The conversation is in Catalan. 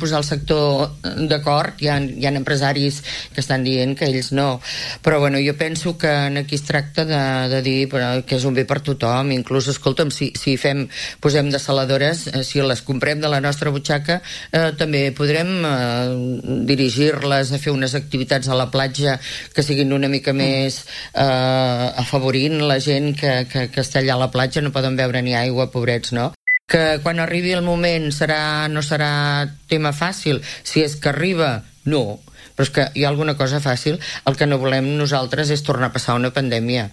posar el sector d'acord, hi ha empresaris que estan dient que ells no, però bueno, jo penso que aquí es tracta de dir que és un bé per tothom, inclús, escolta'm, si posem dessaladores, si les comprem de la nostra butxaca, també podrem dirigir-les a fer unes activitats a la platja que siguin una mica més afavorint la gent que està allà a la platja, no poden veure ni aigua, pobrets, no? Que quan arribi el moment no serà tema fàcil. Si és que arriba, no. Però és que hi ha alguna cosa fàcil. El que no volem nosaltres és tornar a passar una pandèmia.